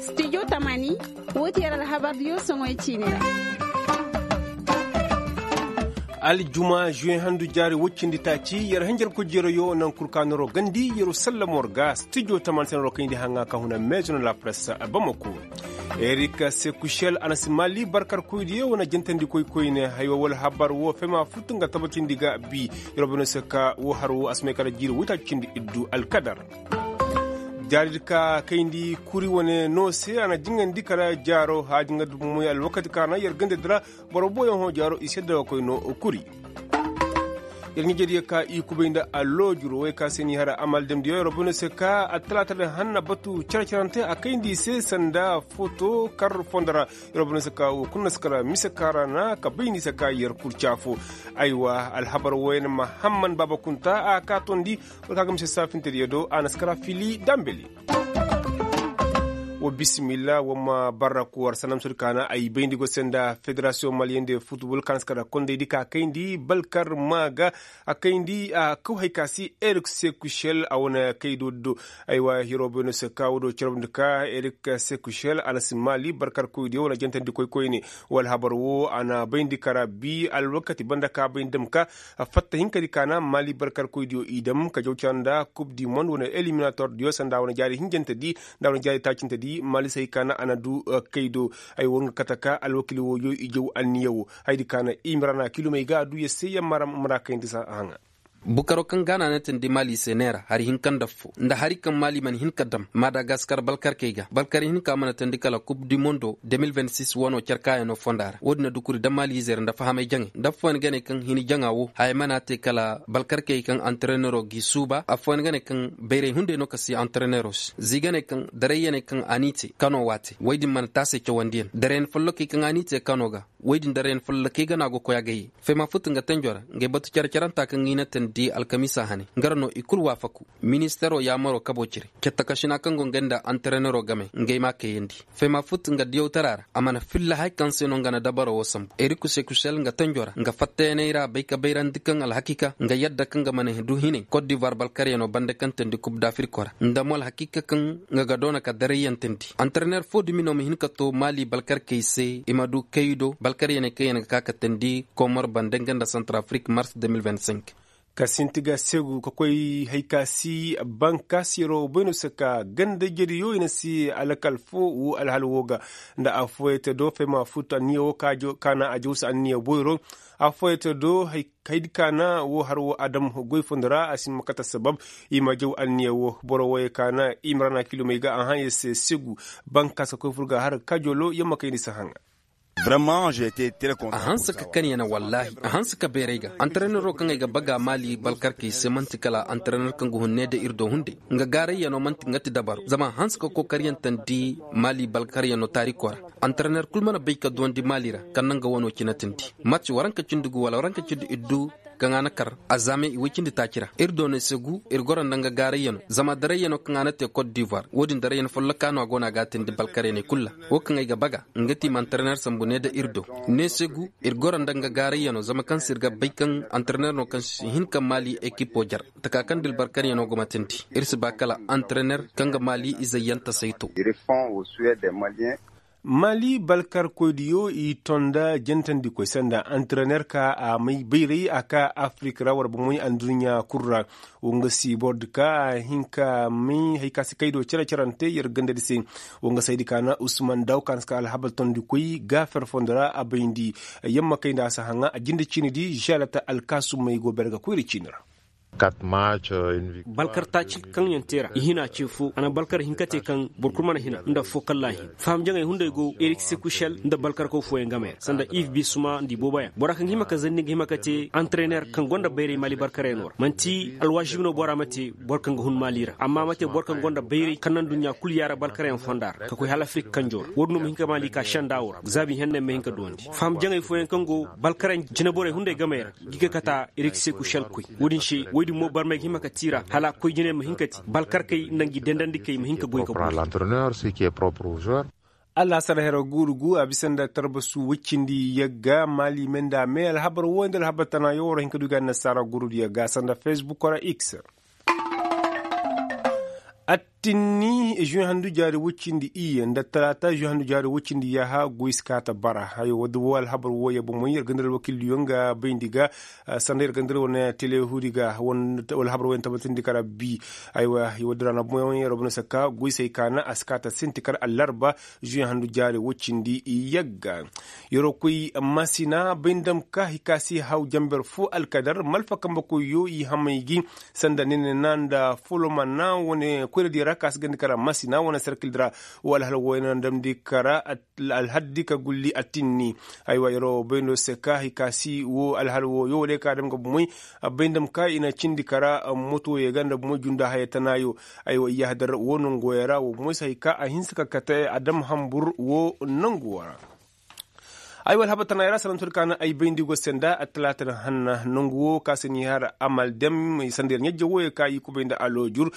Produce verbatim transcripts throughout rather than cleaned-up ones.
Studio tamani, woo ti yer alhabar diyo soŋoy ciini ra. Aljuma zuwe handu jaari woy cindi taaci yer hanjarkoy jeerayo naŋ kul ka noroo gandi yeroo sallamo ra ga studio tamani se noroo kayndi haŋa ka huna meezo na lapress bamako. Erik sekushel a na si maali barkarkoydiyo wane jantandikoy koyne haywa wala habar woo fema fut nga tabatindi ga bi. Yeroo bay no se ka woo har woo a si may kala jiiri woy taaci cindi iddu alkadar. Jaari di ka kayndi kuri wane no se a na jingandi kala jaaro haaji nga dubu moy alwakati ka na yer ganda di ra. Boro boyoŋ hõ jaaro i sedda ga koy no kuri. Yer ɲijediyo ka i kubay nda alloojur woy ka se ni hara amal damdiyo yer bay no se ka attalaata din hanna batu care-carante a kayndi i se sanda foto kar fondo ra. Yer bay no se ka woo kul na si kara mise kaŋ ra na ka bay ni se ka yer kul caafo. Aywa alhabar woyne mahamman baaba kunta a ka tondi. War ka ga mise saafintediyo do a na si kara fili dambeli. Wa bisimilla wa ma barra ku war sanamsodi kaana ay bayndi go se nda federasiyoŋ maliyende futbol kaana si kara kondaydi ka kayndi balkar ma ga a kayndi a kaw hay ka si erik sekushel a wane kaydo do. Aywa hiro bayno se ka wodo carabndi ka erik sekushel a na si maali barkar koydiyo wane jantandi koy koyne. Wala habar wo a na bayndi kara bi alwakati banda ka bayndi dam ka fatta hinkadi kaana maali barkar koydiyo i dam ka jaw cara nda kub di mond wane eliminator diyo sanda wane jaari hinjante di nda wane jaari taacinte di maali se hay kaana a na du kay do. Ay wo nga kate ka alwakili wooyo i jaw anniya wo haydi kaana i mara na kilomey ga a du ya se ya mara mara kayndi sa haŋa. Bukaro kaŋ gaana ne tandi maali se neera hari hinka nda fo nda hari kaŋ maali mana hin ka dam madagaskar balkarkey ga balkar hinka mana tandi kala kub di mondo de mil vingt six wano care kaayano fonda ra wo- din na dukuri da maali ize ra nda fahamay jaŋay nda afooyaŋ ga ne kaŋ hini jaŋa wo haya mana te kala balkarkey kaŋ antarenero g'i suuba afooyaŋ ga ne kaŋ bayray hunday no ka si antarenero se z'i ga ne kaŋ darayyaney kaŋ a n'i te kano waate woy din mana taasey cawandiyaŋ darayyaŋ follokey kaŋ a n'i te kano ga woy din darayyaŋ follokey ga no a go koy a ga ye fayma futu nga tanjo ra ngey batu care-caranta kaŋ ga i na tandi alkamiisa hane nga ra no i kul waafaku ministero yaamaro kabo cire cattakašina kaŋ go ngey nda antarenero game ngey m'a kayandi fayma futu nga diyawtara ra a mana filla hay kaŋ se no nga na dabaro wo sambu eriku sekusel nga tanjo ra nga fattayaney ra bay ka bayrandi kaŋ alhakiika nga yadda kaŋ ga mana du hinay kot divoir balkaryano banda kaŋ tandi kub dafiriko ra nda mo alhakiika kaŋ nga ga doona ka darayyantandi antarener fo dumi no ma hin ka to maali balkarkey se i ma du kaydo balkaryaney kaŋ yaŋ ga ka ka tandi komor banda nga nda santar afrik mars de mil vingt cinq. Ka sinti ga segu ka koy hay ka si bankaasiyaro bayno se ka ganda jediyo i na si alakal fo wo alhal wo ga nda affooyey te do fayma futu anniya wo ka na a jawsa anniya boyro affooyey te do haydi ka na wo har wo adam goy fondo ra a si ma kate sabab i ma jaw anniya wo boro woyey ka na i ma ra na kilomey ga a haŋ ya se segu bankaasa koy fur ga har kajolo yamma kayndi si haŋa. A hanse ka kani yana wallaahi a hanse ka beeray ga antarenero kaŋ ay ga baga maali balkarkey se man'ti kala antarener kaŋ ga hun ne da ir do hunday nga gaarayyanoo man'ti nga ti dabaro zama a hanse ka kookaryaŋ tandi maali balkaryanoo taarikoo ra. Antarener kul mana bay ka duwandi maali ra kaŋ na nga wanoo cinatindi. Mats waranka cindi gu wala waranka cindi iddu kaŋ a na kar azaame i woy cindi taaci ra ir do ne se gu ir goro nda nga gaarayyanoo zama darayyanoo kaŋ a na te kot divoir wo-din darayyan follokaa no a go no a ga a tindi balkaryaney kul ra. Wo kaŋ ay ga baga nga ti i ma antarener sambu ne da ir do ne se gu ir goro nda nga gaarayyanoo zama kaŋ se ir ga bay kaŋ antarener no kaŋ si hin ka maali ekipoo jar. Taka kaŋ da ir balkaryanoo go ma tindi ir si ba kala antarener kaŋ ga maali izey yaŋ tasay to. Maali balkarkoydiyo i tonda jantandikoy sanda antarener ka a may bayray a ka afirik ra war bomoy anduɲɲa kul ra. Wo nga si bordi ka a hin ka may hari ka si kaydo cere-cerante yer gandadi se. Wo nga saydi ka na usman daw ka na si ka alhabal tondikoy gaafer fondo ra a bayndi. Yamma kay nda a si haŋa a jinde ciini di žalata alkaasumey go bere ga koyri ciini ra. Balkar taaci kaŋ yaŋ te ra i hina ce fo a na balkar hinka te kaŋ boro kulu mana hina nda affoo kalla a hin faham jaŋey hunday go erik sekušel nda balkarkaw fooyaŋ game ra sanda iv bisuma nda i booboyaŋ bora kaŋ hima ka zanni nga hima ka te antarener kaŋ gonda bayray maali balkaryanoo ra man'ti alwaasibi no bora ma te boro kaŋ ga hun maali ra amma ma te boro kaŋ gonda bayray kaŋ naŋ duɲɲa kul yaara balkaryaŋ fonda ra ka koy hala afirik kanjoo ra wo- din no ma hin ka maali ka senda wo ra zaabi henney ma hin ka duwandi faham jaŋey fooyaŋ kaŋ go balkaryaŋ jineborey hunday gamey ra. Gi ga kata erik sekušel koy wo- din se wo- din mo barmey ga hima ka tiira hala koy jiney ma hin ka ti balkarkey nda ngi dendandikey ma hin ka goy ka boy. Alhasar hera guuru gu a bisa nda tarbasu woy cindi yagga maali me nda me alhabar wo nda alhabar tana yo war hin ka du ga annasaara guuru di yagga sanda facebook ra x. Attinni žuwe handu jaari woy cindi iyye nda talaata žuwe handu jaari woy cindi yaaha goy si kaa ta bara. Woo alhabar wooyo bomoy yer ga nda alwakildiyo nga bayndi ga. Sanda yer ga nda wane telehuudi ga. Woo alhabar wooyo na tabbatindi kara bi. Aywa woo dira na bomoy yer bono si kaa goy si hay kaana a si kaa ta sinti kara allarba žuwe handu jaari woy cindi yagga. Yeroo koy masina bay nda ma ka hay ka si haw janber foo alkadar malfa kambekoyyo i hamay gi. Sanda nene na nda folomana wane koyradiyo ra ka si gandi kara masina wane serkildi ra. Woo alhal wooyo na damndi kara alhaddi ka gulli attinni. Aywa yeroo bayndo se ka hay ka si woo alhal wooyo wala ka dam ga bumoy. Bay nda ma ka i na cindi kara motoyo ga nda bumoy junda haya tanaayo. Aywa i yahdar woo nongoyo ra woo bumoy se hay ka a hinsa ka kate a dam hambur woo nongu woo ra. Ay wala haba tana ay ra salam tun kaana ay bayndi go senda a talaata na hanna nongu woo ka se ni har amal dem sanda yer ɲajja wooyo ka i kubay nda aloojur.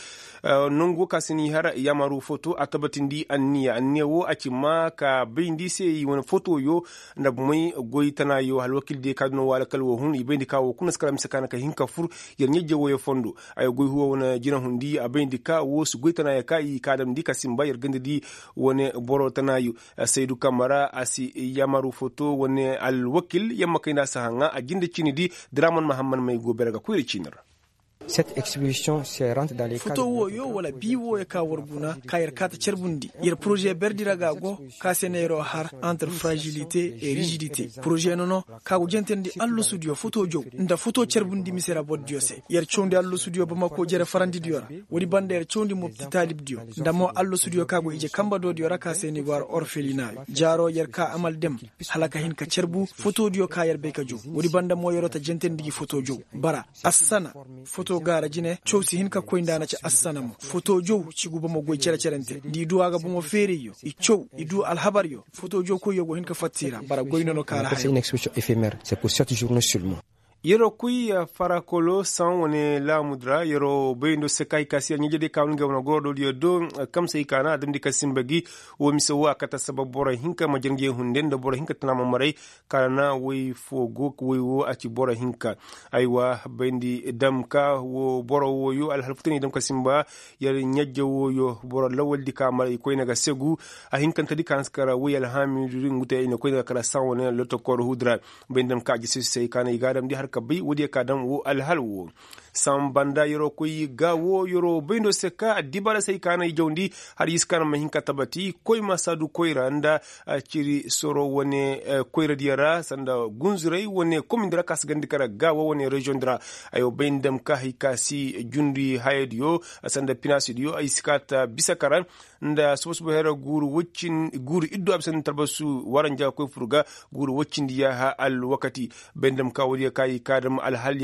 Nongu woo ka se ni har yamaru foto a tabatindi anniya anniya woo a ci ma ka bayndi se i wane fotoyo. Nda bumay goy tana yo alwakil diyo ka duno woo alakal woo hun i bayndi ka woo kuna si kala mise kaana ka hin ka fur. Yer ɲajja wooyo fondo ay goy huwa wane jina hundi a bayndi ka woo si goy tana yo ka i ka damndi ka sinba yer ganda di wane boro tana yo. Saydu kamara a si yamaru foto wane alwakil yamma kayna si haŋa a jinde ciini di. Diraman mahamman may go bere ga koyri ciini ra. Foto wooyo wala bii wooyo ka war guna ka yer kaata carbundi yer poroze berdi ra ga go ka se na yeroo har entre fragilite et rigidite poroze nono ka go jentandi allasudiyo foto jow nda foto carbundi mise ra bordiyo se yer cawndi allasudiyo bamako jere farandidiyo ra. Woodi banda yer cawndi mopti taalibdiyo nda mo allasudiyo ka go ije kamba doodiyo ra ka se ni go har orfelina. Jaaro yer ka amal dem hala ka hin ka carbu fotodiyo ka yer bay ka jow. Woodi banda mo yeroo ta jentandi gi foto jow bara assana. Foto gaara jine caw si hin ka koy nda a na ci assana mo foto jow ci guba mo goy cere-cerente nda i du a ga bomo feerayyo i caw i du alhabaryo. Foto jow koyyo go hin ka fatta i ra bara goy nono kaara haya. Yeroo kuy farakolo saŋ wane laamudi ra yeroo bayndo se ka hay ka si yer ɲajediyo ka wane nga wane gorodoodiyo do. Kamsey ka na a damndi ka sinba gi woo mise woo a kate assabab boro hinka ma janjey hunde nda boro hinka tana ma maray. Kala na woy foo go woy woo a ci boro hinka. Aywa bayndi dam ka woo boro wooyo alhal futu ne dam ka sinba. Yer ɲajja wooyo boro lawaldi ka maray koyne ga segu. A hinkantedi ka na si kara woy alhaamidu di ngu te i na koyne ga kala saŋ wane lotokor huudi ra. Bay nda ma ka a jisi se i ka na i ga a damndi har ka bay woodiyo ka dam woo alhal woo. Saŋ banda yeroo koy ga woo yeroo bayndo se ka addibaara se i ka na i jawndi. Har i si ka na ma hin ka tabati koy ma saadu koyra nda ciri soro wane koyradiyo ra sanda gunzuray wane komindi ra ka si gandi kara ga woo wane reziyoŋ di ra. Aywa bay nda ma ka hay ka si jundi hayadiyo sanda pinaasidiyo ay si ka ta bisa kara. Nda suba-suba hera guuru iddu a bisa nda talbasu waranja koy fur ga. Guuru woy cindi yaaha alwakati. Bay nda ma ka woodiyo ka i ka dam alhal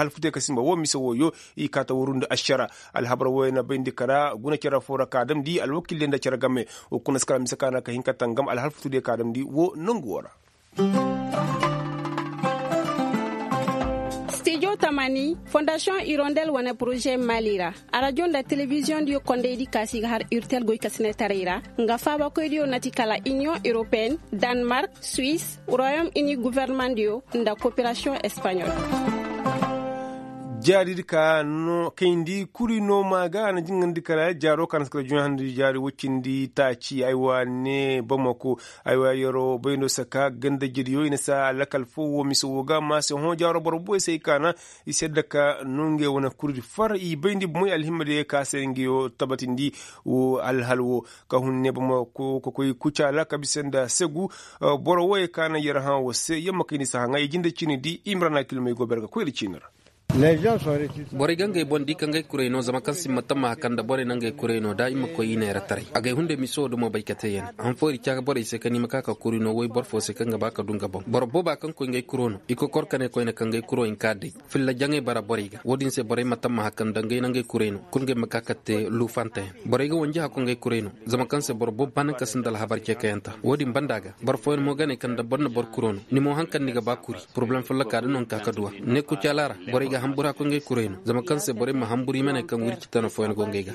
futuyo ka sinba woo mise wooyo. I ka ta wuru nda ašara. Alhabar wooyo na bayndi kara guna cere foo ra ka damndi alwakil diyo nda cere game. Woo kuna si kala mise ka na ka hin ka tangam alhal futu diyo ka damndi woo nongu woo ra. Stijo tamani fondasiyoŋ irondel wane poroze mali ra. Arajo nda telebiziyoŋdiyo kondaydi ka si ga har urtel goykasinetaray ra. Nga faabakoydiyo na ti kala iniyoŋ europeyen, danmark, suwis, royom ini gofornemandiyo nda koperasiyoŋ espaɲol. Jaaridi ka no kayndi kuri no ma ga a na jingandi kala jaaro ka na si kala juɲa handi jaari woy cindi taaci aywa ne bamako. Aywa yeroo bayndo saka gandajediyo i na saa lakal foo woo mise woo ga ma se hõ jaaro boro boy se ay kaana. I sedda ka no ngey wane kurdi far i bayndi bomoy alhimmadiyo ka se ngayo tabatindi. Woo alhal woo ka hun ne bamako ka koy kucaala ka bisa nda segu. Boro wooyo ka na yer hã woo se yamma kayndi si haŋa i jinde ciini di imrana kilmey go bere ga koy iri ciini ra. Borey ga ngey boŋ di ka ngey kuray no zama kaŋ simma tammaha kaŋ nda borey na ngey kuray no da i ma koy i neera taray agay hunday miso dumo bay ka te yane han fooyri caka borey se kaŋ i ma ka ka kuri no woy boro fo se kaŋ ga ba ka du nga boŋ boro booba kaŋ koy ngey kuro no i kokor ka ne koyne kaŋ ngey kuro hinka day filla jaŋey bara borey ga wo-din se borey ma tammaha kaŋ nda ngey na ngey kuray no kul ngey ma ka ka te luufanteyaŋ borey ga wanji hako ngey kuray no zama kaŋ se boro boobo ba naŋ ka sinda alhabar ceekayanta wo-din banda ga boro fooyaŋ mo ga ne kaŋ nda boro na boro kuro no ni mo haŋ kaŋ ni ga ba kuri poroblem folloka da no ni ka ka duw'a ne kucaala ra borey ga hambur hako ngey kuray no zama kaŋ se borey ma hambur i ma ne kaŋ wirci tana fooyaŋ go ngey ga.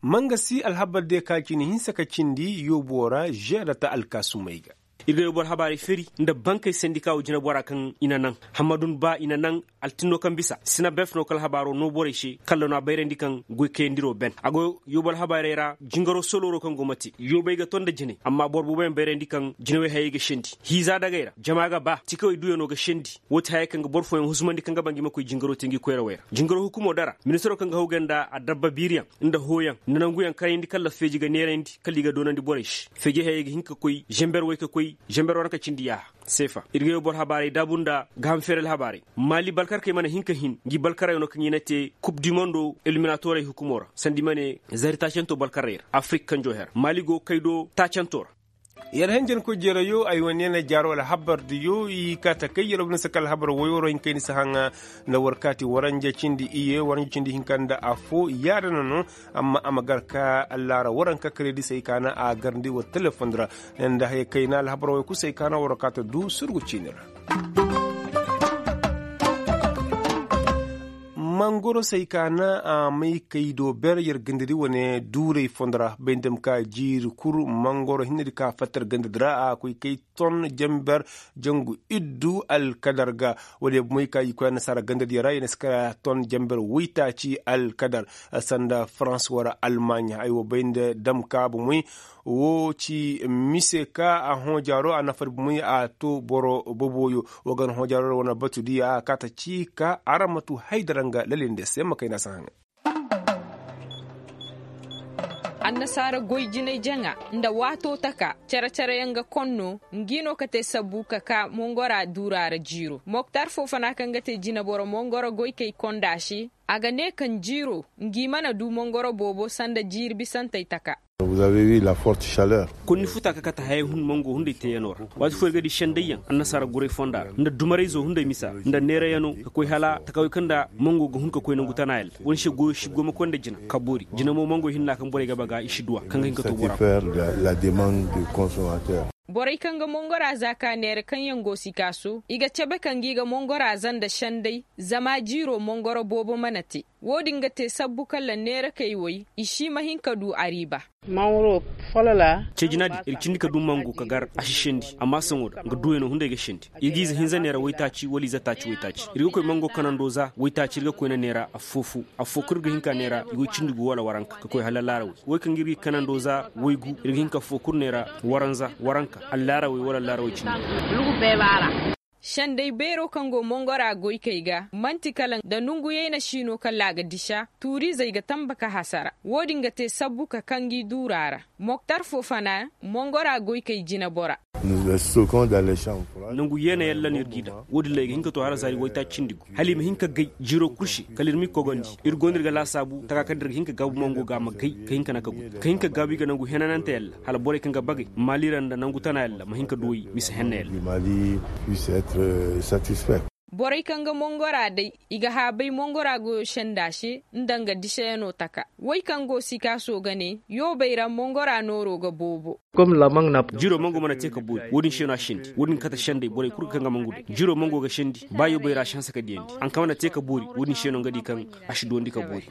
Mangasi alhabar de ka cine hinsa ka cindi yoobo ra žeeda ta alkaasumey ga. Ir ga yoo boro habaarey feri nda bankey sendika wo jineboraa kaŋ i na naŋ. Hammadun ba i na naŋ. Altinno kaŋ bisa sinabef no kala habaaroo noo borey se kalla no a bayrandi kaŋ goy kayandiroo ben a go yoobal habaarey ra jingaroo solooroo kaŋ go ma te yoobay ga to nda jinay amma boro booboyaŋ bayrandi kaŋ jinawey hayey ga sendi hiiza dagey ra jama ga ba tikawey duuyanoo ga sendi. Woo ti hayey kaŋ ga boro fooyaŋ husumandi kaŋ ga ba ngi ma koy jingaroo te ngi koyrawey ra jingaroo hukumoo dara ministaroo kaŋ ga hawgay nda adabba biiriyaŋ nda hooyaŋ nda nanguyaŋ karayndi kalla feeji ga neerayndi kala i ga doonandi borey se. Feejey hayey ga hin ka koy zember woy ka koy zember waranka cindi yaaha. Seefa ir ga yoo boro habaarey daabu nda gaaham feerel habaarey. Maali balkarkey mana hin ka hin ngi balkarayoo no kaŋ i na te kub di mondo eliminatorey hukumoo ra sanda i ma ne zari taacantoo balkarey ra afirik kanjoo her maali go kay do taacantoo ra. Yer hanjankoy jeerayo ay wane na jaaro alhabar diyo i kaata kay yer wane si ka alhabar woyoo ra hin kay ni si haŋa. Nda war kaati waranja cindi iye waranja cindi hinka nda afo yaada na no. Amma a ma gar ka allaara waranka karedi si ay kaana a garndi war telefon ra. Nda haya kayna alhabar woy kul si ay kaana war kaata du surgu ciini ra. Mangoro si ay kaana a may kay do ber yer gandadi wane duuray fondo ra bay nda ma ka jiiri kul mangoro hinne di ka fatta yer gandadi ra a koy kay ton jamber jangu iddu alkadar ga. Woodiyo bomey ka i koy annasaara gandadiyo ra i na si kara ton jamber woytaaci alkadar. Sanda farans wara almaaɲa ay wo bay nda damka bomey. Woo ci mise ka a hõojaaro a nafari bomey a to boro boboyo. Woo ga na hõojaaro ra wane batu diya a kaata ci ka aramatu haydara nga lalinde se ma kayna si haŋay. Annasaara goy jinay jaŋa nda waatoo taka cere-cere yaŋ ga konno. Ngi no ka te sabbu ka ka mongora duura ra jiiro moktar foo fana kaŋ ga te jineboro mongoro goykey konda se. A ga ne kaŋ jiiro ngi mana du mongoro boobo sanda jiiri bisantey taka. Konni futa ka kate hayey hun mango hunday teeyanoo ra. Waati foo ir ga di sendayyaŋ annasaara guray fonda ra nda dumarayzoo hunday misa ra nda neerayanoo ka koy hala takawey kaŋ nda mango ga hun ka koy nangu tana yalla. Wane se goyo si go ma koy nda jina ka boori jina mo mango hinna kaŋ borey ga baga i si duw'a kaŋ ga hin ka to bora. Borey kaŋ ga mongora za ka neera kaŋ yaŋ go sikaaso i ga cabe ka ngi ga mongora za nda senday. Zama jiiro mongoro boobo mana te. Wo-din ga te sabbu kala neerakey woy i si ma hin ka du ariiba. Ceejina din ir cindi ka du mango ka gar a si sendi amma saŋo da nga duwey no hunday ga sendi. Ir ga ize hinza neera waytaaci wala ize taaci waytaaci ir ga koy mango kanando za waytaaci ir ga koyna neera affoo foo affoo kul ir ga hin ka neera i go cindi gu wala waranka ka koy hala laarawey. Wey kaŋ ir ga i kanando za waygu ir ga hin ka affoo kul neera waranza waranka allaarawey wala allaarawey cindi. Senday beeroo kaŋ go mongora goykey ga man'ti kala nda nonguyey na si no kala a ga disa tuuriizey ga tanba ka hasara. Wo-din ga te sabbu ka kaŋ gi duura ra. Moktar foo fana mongora goykey jinebora. Nangu yeena yalla no ir g'i daŋ. Wo-din ra i ga hin ka to hala zaari waytaaci cindi gu hala i ma hin ka gay jiiroo kul se kala ir m'i kogondi. Ir go no ir ga laasaabu taka kaŋ da ir ga hin ka gaabu mango ga a ma gay ka hin ka naŋ ka gudu ka hin ka gaabu i ga nangu henanante yalla hala borey kaŋ ga bagay maali ra nda nangu tana yalla ma hin ka duw'ey mise henna yalla. Borey kaŋ ga mongora day i ga haabay mongora goyo senda se nda nga diseyanoo taka. Wey kaŋ go sikaaso ga ne yoobey ra mongora nooroo ga boobo. Jiiroo mango mana te ka boori wo-din se no a sendi wo-din ga kate senday borey kul kaŋ ga mangu day jiiroo mango ga sendi ba yoobey ra a si hanse ka diyandi haŋ kaŋ mana te ka boori wo-din se no nga di kaŋ a si duwandi ka boori.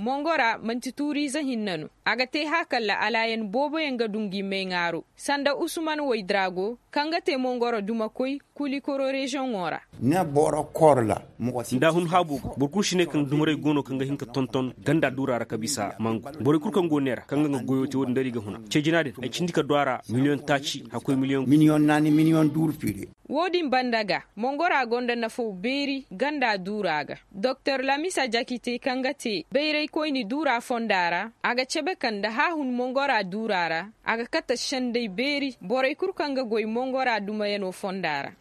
Mongora man'ti tuuriize hinne no. A ga te hã kala alaayan booboyaŋ ga du ngi mayŋaaro sanda usman waydrago kaŋ ga te mongoro dumakoy kulikoro reziyoŋo ra. Nda hun haabo ga boro kul si ne kaŋ dumaray go no kaŋ ga hin ka tonton ganda duura ra ka bisa mangu. Borey kul kaŋ go neera kaŋ ga nga goyo te wo-din da ir i ga huna ceejina din ay cindi ka du a ra miliyoŋ taaci hakkoy miliyoŋ. Miliyoŋ naani miliyoŋ duuru fiiri. Wo-din banda ga mongora gonda nafaw beeri ganda duura ga. Doktor lamisa jakite kaŋ ga te bayraykoyni duura fonda ra a ga cabe kaŋ nda haahun mongora duura ra a ga kate senday beeri borey kul kaŋ ga goy mongora dumayanoo fonda ra.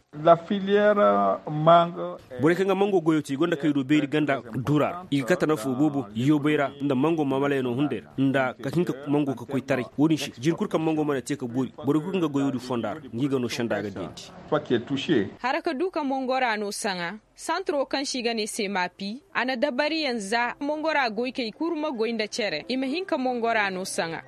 Borey kaŋ ga mango goyo te i gonda kay do beeri ganda duura ra i ga kate nafoo boobo yoobay ra nda mango maamalayanoo hunday ra nda ka hin ka mango ka koy taray. Wo-din se jiiri kul kaŋ mango mana te ka boori borey kul kaŋ ga goyo din fonda ra ngi ga no senda ga diyandi. Hara ka du ka mongora no saŋa. Santroo kaŋ se i ga ne se maapi a na dabariyaŋ za mongora goykey kul ma goy nda cere i ma hin ka mongora no saŋa.